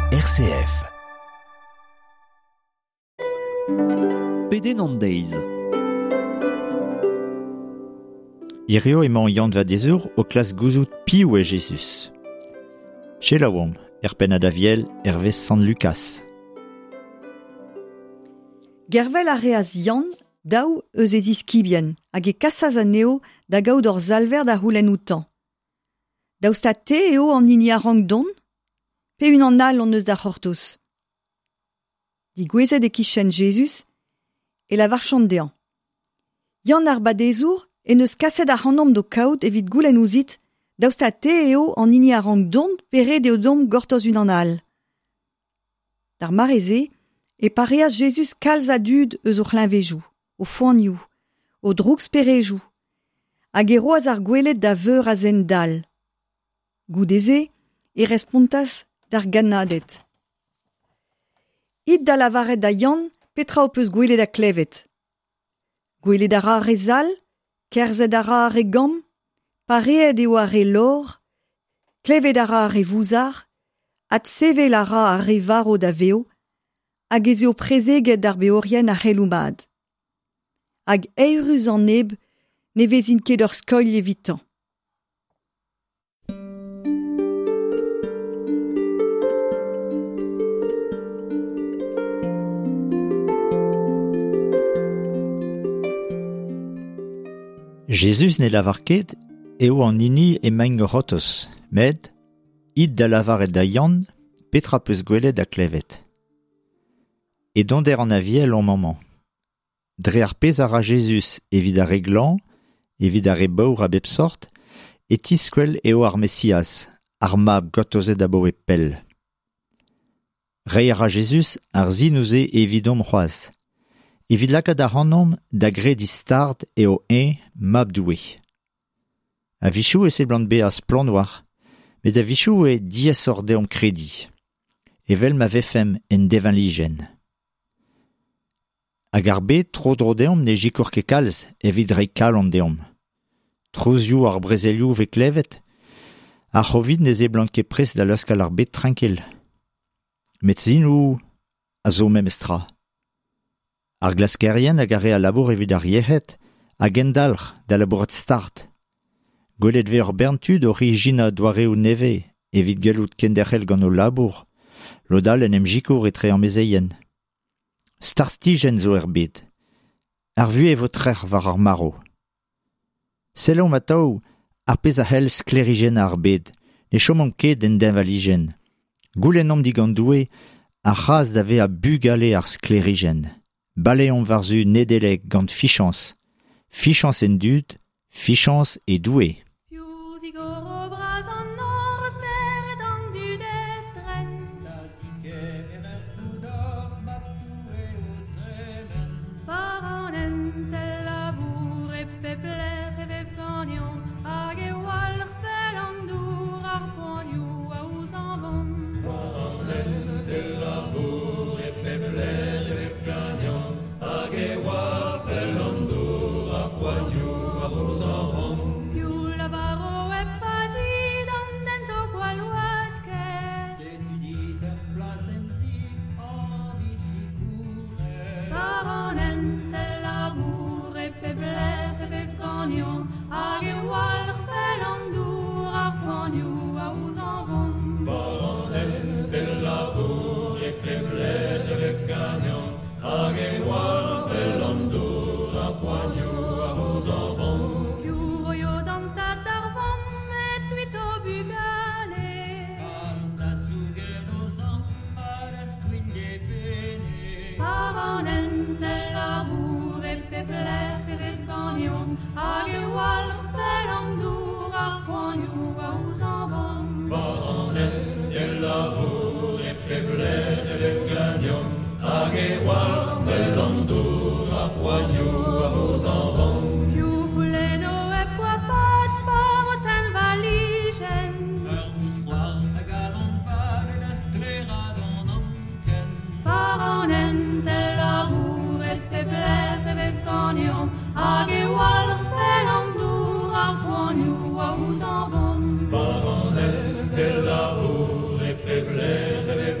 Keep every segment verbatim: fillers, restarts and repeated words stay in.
R C F. Pedenn an deiz. Hirio emañ Yann Vadezour o klask gouzout piv eo Jezuz. Selaouomp, er pennad Aviel, hervez Sant Lukas. Gervel a reas Yann daou eus e ziskibien hag e kasas anezho da gaout ur salver da c'houlenn outañ. Daoust ha te eo an hini a rank dont ? Pe unan all hon eus da c'hortoz ? Digouezet e-kichen Jezuz, e lavarchont dezhañ. Yann ar Badezour en deus kaset ac'hanomp d'ho kaout evit goulenn ouzhit, daoust ha te eo an hini a rank dont pe ret eo deomp gortoz unan all. D'ar mare-se, e pareas Jezuz kalz a dud eus o c'hleñvedoù, o foanioù, o drouksperejoù, hag e roas ar gweled da veur a zen dall. Goude-se, e respontas d'ar gannaded. It da lavaret da Yann petra ho peus gwelet ha klevet. Gwelet a ra ar re zall, kerzhet a ra ar re gamm, pareet eo ar re lor, klevet a ra ar re vouzar, adsevel a ra ar re varv da vev, hag ez eo prezeget d'ar beorien ar c'heloù mat. Hag eürus an neb ne vezint ket ur skoilh evitañ. Jezuz ne lavar ket eo an hini emaint o c'hortoz, met it da lavaret da Yann petra peus gwelet ha klevet. E donder an Aviel omp amañ. Dre ar pezh a ra Jezuz evit ar re glañv, evit ar re baour a bep sort, e tiskwel eo ar Mesiaz, ar mab gortozet abaoe pell. Reiñ a ra Jezuz ar sin-se evidomp c'hoazh. Evit lakaat ac'hanomp da grediñ start eo eñ mab Doue. A-wechoù e seblant bezañ splann war, met a-wechoù eo diaesoc'h deomp krediñ, evel ma vefemp en deñvalijenn. Hag ar bed tro-dro deomp ne sikour ket kalz evit reiñ kalon deomp. Trouzioù ar brezelioù vez klevet, ar C'hovid ne seblant ket prest da laoskel ar bed trankil. Met sinoù a zo memestra. Ar glaskerien hag ar re a labour evit ar yec'hed hag endalc'h da labourat start. Gwelet vez ur bern tud oc'h ijinañ doareoù nevez evit gellout kenderc'hel gant o labour, lod all en em sikour etre amezeien. Startijenn zo er bed. Ar vuhez vo trec'h war ar marv. Sellomp atav ar pezh a c'hell sklêrijennañ ar bed, ne chomomp ket en deñvalijenn. Goulennomp digant Doue ar c'hras da vezañ bugale ar sklêrijenn. Baleomp war-zu Nedeleg gant fichañs. Fichañs en dud, fichañs e Doue. Hag e walc'h fel an dour ar poanioù a ouzanvont. Par an hent el labour e pep lec'h e vev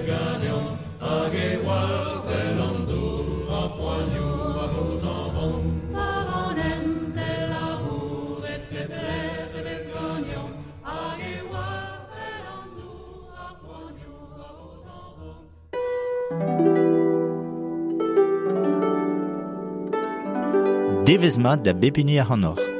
Devezh mat da bep hini ac'hanoc'h.